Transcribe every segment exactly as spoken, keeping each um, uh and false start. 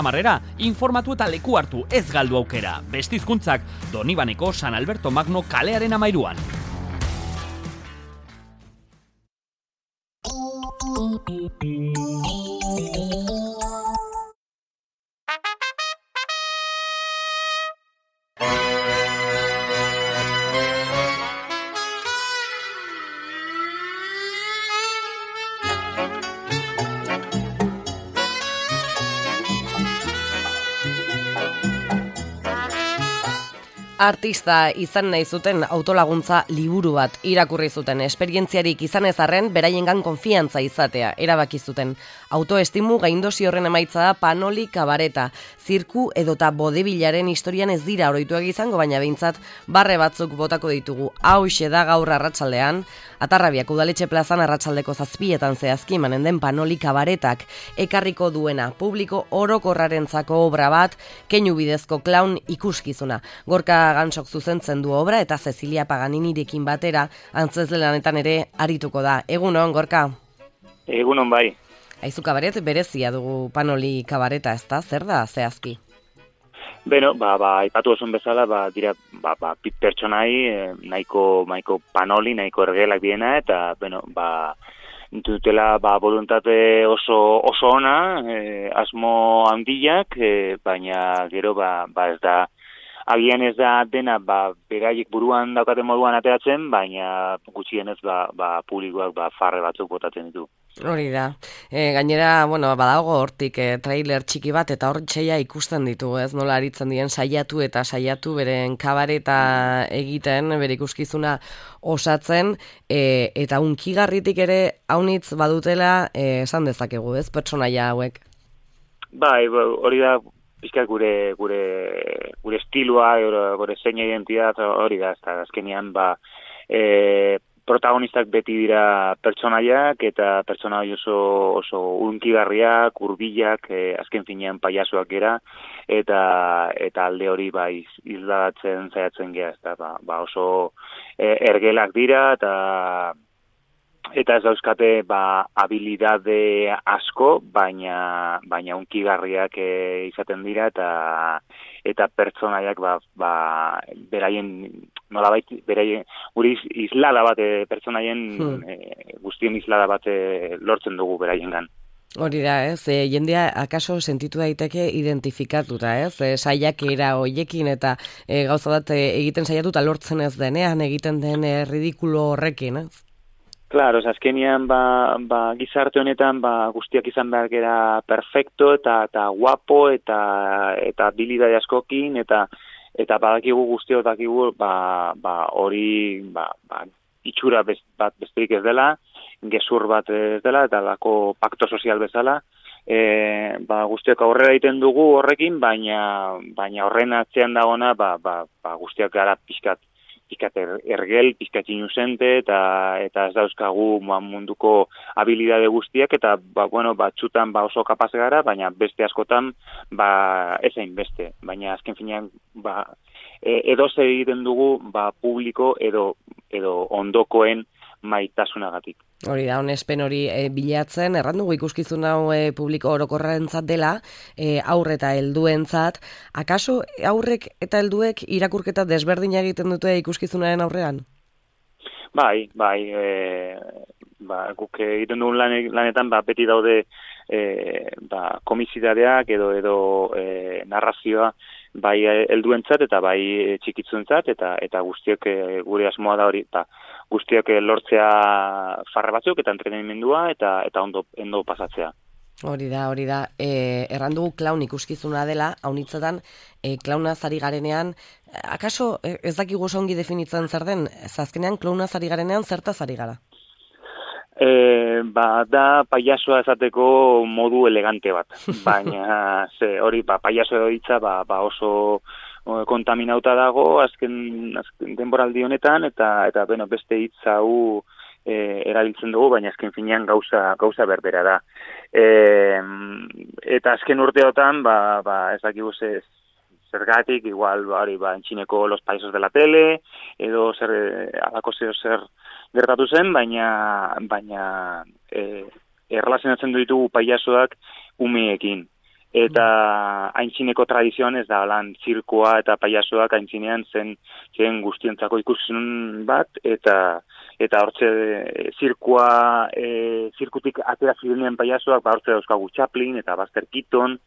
Amarrera, informatu eta leku hartu ez galdu aukera. Beste hizkuntzak Donibaneko San Alberto Magno kalearen amairuan. Artista izan nahi zuten autolaguntza liburu bat irakurri zuten. Esperientziarik izan ez arren, beraiengan konfiantza izatea erabaki zuten. Autoestimu gaindosi horren emaitza da Panoli kabareta. Zirku edota bodebilaren historian ez dira oroituak izango, baina behintzat barre batzuk botako ditugu. Hauxe da gaur arratsaldean, Atarrabiak udaletxe plazan arratsaldeko zazpietan zehazki manen den Panoli kabaretak ekarriko duena. Publiko orokorrarentzako obra bat, keinu bidezko klaun ikuskizuna. Gorka Gansok zuzentzen du obra eta Cecilia Paganinirekin batera antzezle lanetan ere arituko da. Egunon, Gorka? Egunon bai. Aizu kabaret berezia dugu Panoli kabareta, ez da? Zer da, zehazki? Beno, ba, ba, aipatu osun bezala, ba, dira, ba, ba, pit pertsonai, eh, nahiko, nahiko Panoli, nahiko ergelak diena, eta, beno, ba, dutela, ba, voluntate oso, oso ona, eh, asmo handiak, eh, baina gero, ba, ba, ez da, agian ez da dena, ba, beraiek buruan daukaten moduan ateratzen, baina gutxienez, ba, ba, publikoak, ba, farre batzuk botatzen ditu. Hori da. E, gainera, bueno, badago hortik e, trailer txiki bat eta hor txeia ikusten ditu, ez? Nola aritzen dien saiatu eta saiatu beren kabareta egiten, bere ikuskizuna osatzen, e, eta unkigarritik ere haunitz badutela e, esan dezakegu, ez? Pertsonaia hauek. Bai, hori da pizkat gure gure gure estiloa, gure zein identitate hori da, ezta azkenean ba e, protagonistak beti dira pertsonaiak eta pertsonai oso oso unkigarriak, hurbilak, e, azken finean pailazoak gera eta eta alde hori ba isladatzen saiatzen gea, ezta ba, ba oso e, ergelak dira eta eta ez dauzkate ba habilidade asko, baina baina unkigarriak e, izaten dira eta eta pertsonaiak ba, ba beraien nolabait beraien guri islada bat e, pertsonaien hmm. e, guztien islada bat e, lortzen dugu beraiengan. Hori da, ez? E, jendea akaso sentitu daiteke identifikatuta, ez? E, saiakera hoiekin eta e, gauza bat e, egiten saiatuta lortzen ez denean, egiten den e, ridikulo horrekin, ez? Claro, azkenean ba, ba, gizarte honetan ba, guztiak izan behar gera perfecto eta eta guapo eta eta habilidade askokin eta eta badakigu guztiok dakigu ba ba hori ba, ba itxura bez, bat besterik ez dela, gezur bat ez dela eta lako pakto sozial bezala. E, ba, guztiak aurrera egiten dugu horrekin, baina baina horren atzean dagoena ba, ba, ba guztiak gara pixkat pizkat ergel, pizkat inusente, eta eta ez dauzkagu munduko habilidade guztiak, eta ba, bueno, batzutan ba oso kapaz gara, baina beste askotan ba ezain beste. Baina azken finean ba, edo zer egiten dugu ba, publiko edo edo ondokoen maitasunagatik. Hori da, onespen hori e, bilatzen, erran dugu ikuskizun hau e, publiko orokorrentzat dela, e, aurre eta helduentzat. Akaso aurrek eta helduek irakurketa desberdina egiten dute ikuskizunaren aurrean? Bai, bai, e, ba, guk egiten dugun lan, lanetan ba, beti daude e, ba, komisitateak edo edo e, narrazioa bai helduentzat eta bai txikitzuentzat eta eta guztiok e, gure asmoa da hori, ba, guztiak lortzea farre batzuk eta entretenimendua eta eta ondo ondo pasatzea. Hori da, hori da. E, erran dugu klaun ikuskizuna dela, haunitzetan e, klaunaz ari garenean, akaso ez dakigu oso ongi definitzen zer den, azkenean klaunaz ari garenean zertaz ari gara? E, ba, da pailazoa esateko modu elegante bat, baina ze, hori ba, pailazo hitza ba, ba oso kontaminauta dago azken, azken denboraldi honetan eta eta bueno, beste hitz hau e, erabiltzen dugu, baina azken finean gauza gauza berbera da. E, eta azken urteotan ba, ba ez dakigu ze zergatik igual hori ba entxineko los payasos de la tele edo zer alako zer zer gertatu zen, baina baina eh erlazionatzen ditugu pailazoak umeekin. eta aintzineko tradizioan ez da, lan, zirkua eta paiasoak aintzinean zen, zen guztiontzako ikusun bat, eta eta hortze zirkua, e, zirkutik atera zirenean paiasoak, ba hortze dauzkagu Chaplin, eta Buster Keaton,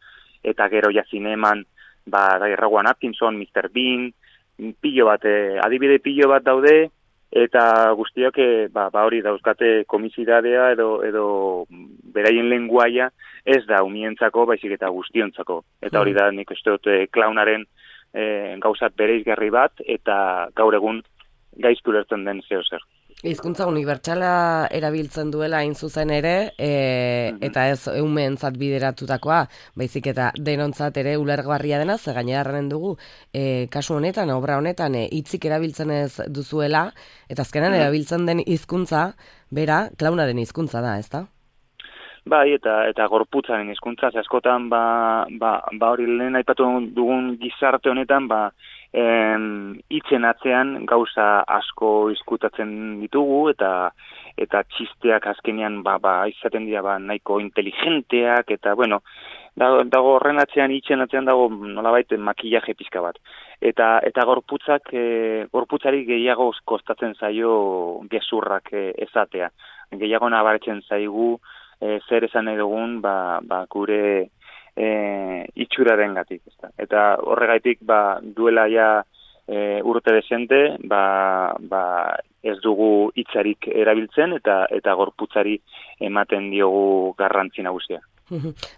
eta gero ja zineman, ba, Rowan Atkinson, mister Bean, pilo bat, e, adibide pilo bat daude, eta guztiak e, ba, ba hori dauzkate komisidadea edo, edo beraien lenguaia ez da umientzako, baizik eta guztiontzako. Eta hori da, nik uste dut e, klaunaren e, gauzat bereizgarri bat, eta gaur egun gaiztu lertzen den zeo zer. Hizkuntza unibertsala erabiltzen duela hain zuzen ere, e, eta ez umeentzat bideratutakoa, baizik eta denontzat ere ulergarria dena, ze gaineraren dugu, e, kasu honetan, obra honetan, e, hitzik erabiltzen ez duzuela, eta azkenan erabiltzen den hizkuntza, bera, klaunaren hizkuntza da, ezta? Bai, eta eta gorputzaren hizkuntza, askotan ba, ba, ba hori lehen aipatu dugun gizarte honetan, ba, hitzen atzean gauza asko izkutatzen ditugu, eta eta txisteak azkenean ba, ba, izaten dira ba, nahiko inteligenteak, eta bueno, dago, dago horren atzean, hitzen atzean dago nolabait makillaje pizka bat. Eta eta gorputzak, e, gorputzari gehiago kostatzen zaio gezurrak e, ezatea. Gehiago nabaretzen zaigu e, zer esan nahi dugun ba, ba, gure E, itxuraren gatik. Eta horregaitik ba, duela ja e, urte desente ba, ba, ez dugu hitzarik erabiltzen eta eta gorputzari ematen diogu garrantzi nagusia.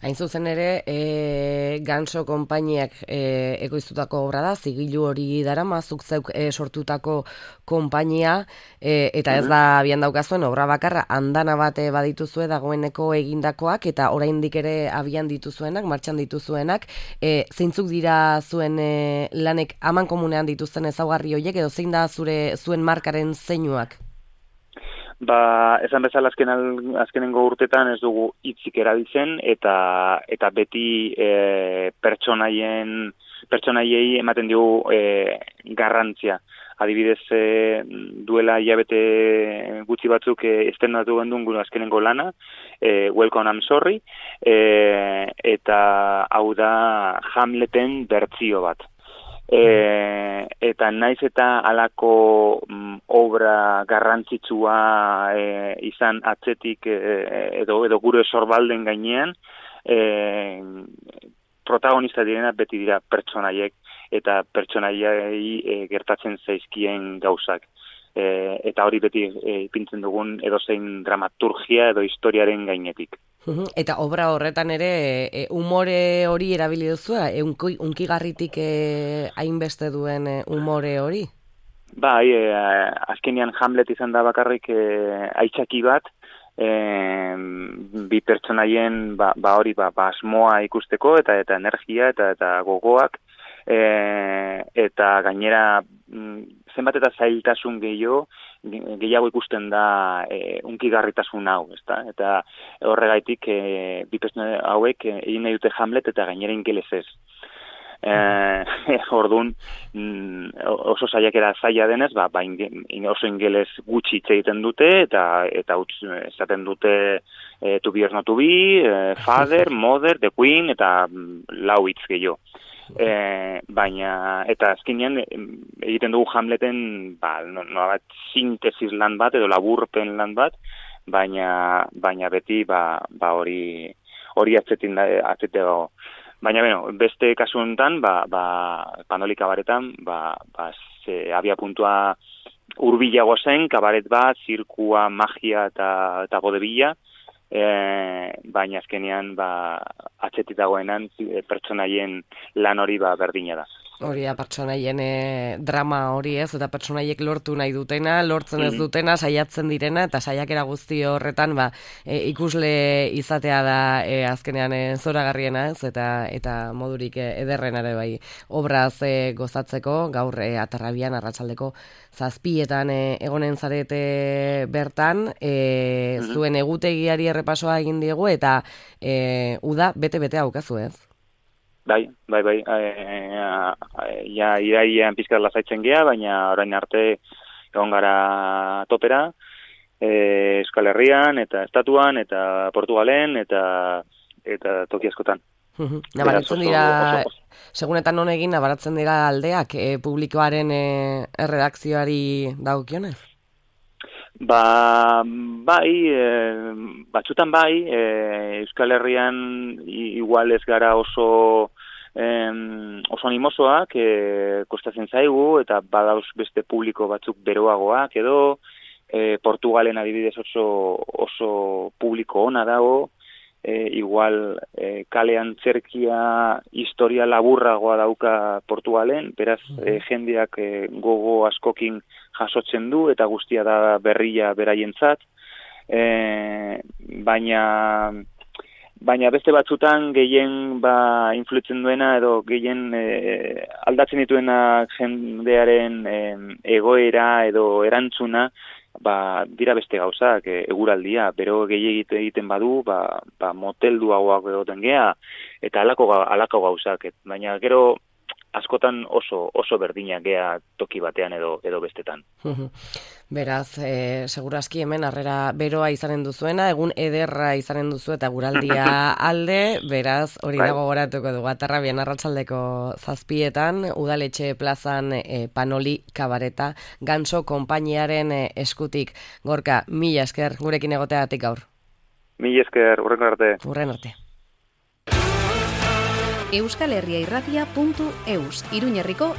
Hain zuzen ere, e, Ganso konpainiak e, ekoiztutako obra da, zigilu hori darama, zuk zeuk e, sortutako konpainia, e, eta ez da abian daukazuen obra bakarra, andana bate badituzue dagoeneko egindakoak, eta oraindik ere abian dituzuenak, martxan dituzuenak, e, zeintzuk dira zuen e, lanek aman komunean dituzten ezaugarri horiek, edo zein da zure zuen markaren zeinuak? Ba, esan bezala azken azkenengo urtetan ez dugu hitzik erabiltzen eta eta beti e, pertsonaien pertsonaiei ematen dugu e, garrantzia. Adibidez, e, duela hilabete gutxi batzuk e, estrenatu gendun gure azkenengo lana, e, Welcome I'm Sorry, e, eta hau da Hamleten bertsio bat. E, eta naiz eta halako mm, obra garrantzitsua e, izan atzetik e, edo edo gure sorbalden gainean e, protagonista direna beti dira pertsonaiek eta pertsonaiei e, gertatzen zaizkien gauzak. E, eta hori beti e, ipintzen dugun edozein dramaturgia edo historiaren gainetik. Eta obra horretan ere e, umore hori erabili duzu, e, unki, unkigarritik e, hainbeste duen e, umore hori? Bai, e, azkenean Hamlet izan da bakarrik e, aitzaki bat, e, bi pertsonaien ba, ba hori ba, ba asmoa ikusteko eta eta energia eta eta gogoak, e, eta gainera zenbat eta zailtasun gehiago, gehiago ikusten da e, unkigarritasun hau, ezta? Eta horregaitik e, bi pertsona hauek egin nahi dute Hamlet eta gainera ingelesez. Eh, ordun oso saiakera zaila denez, ba, ba oso ingeles gutxi hitz egiten dute eta eta utz esaten dute e, to be or not to be, e, father, mother, the queen eta lau hitz gehiago. E, baina eta azkenean egiten dugu Hamleten ba no, no bat sintesis lan bat edo laburpen lan bat, baina baina beti ba ba hori hori atzetin da atzetego. Baina bueno, beste kasu honetan ba ba Panoli kabaretan ba ba se había puntua hurbilago zen kabaret bat, zirkua, magia eta eta godebilla. E, baina azkenean ba, atzetik dagoenan e, pertsonaien lan hori ba, berdina da. Hori da, pertsonaien e, drama hori ez, eta pertsonaiek lortu nahi dutena, lortzen ez dutena, saiatzen direna, eta saiakera guzti horretan ba, e, ikusle izatea da e, azkenean e, zoragarriena ez, eta eta modurik e, ederrenare bai obraz e, gozatzeko, gaur e, Atarrabian arratsaldeko zazpietan e, egonen zarete bertan, e, mm-hmm. zuen egutegiari errepasoa egin diegu, eta e, uda bete-bete haukazu ez? Bai, bai, bai, e, ja irailean pizkat lasaitzen gea, baina orain arte egon gara topera, e, Euskal Herrian, eta Estatuan, eta Portugalen, eta eta toki askotan. Nabaritzen dira, segunetan honegin, nabaratzen dira aldeak e, publikoaren e, erredakzioari dagokionez? Ba, bai, e, batzutan bai, e, Euskal Herrian igual ez gara oso em, oso animosoak, e, kostatzen zaigu, eta badauz beste publiko batzuk beroagoak edo, e, Portugalen adibidez oso, oso publiko ona dago, e, igual e, kalean zerkia historia laburragoa dauka Portugalen, beraz e, jendeak e, gogo askokin jasotzen du, eta guztia da berria beraientzat, e, baina baina beste batzutan gehien ba, influitzen duena edo gehien e, aldatzen dituena jendearen e, egoera edo erantzuna, ba, dira beste gauzak, e, eguraldia, bero gehi egiten badu, ba, ba, motelduagoak egoten gea, eta alako, alako gauzak, et, baina gero askotan oso oso berdinak gea toki batean edo edo bestetan. Beraz, e, segurazki hemen harrera beroa izanen duzuena, egun ederra izanen duzu eta guraldia alde, beraz, hori dago goratuko dugu. Atarrabian arratsaldeko zazpietan, udaletxe plazan e, Panoli kabareta, Ganso konpainiaren e, eskutik. Gorka, mila esker gurekin egoteagatik gaur. Mila esker, urren arte. Urren arte. Euskal Herria Irratia puntu eus, Iruñerriko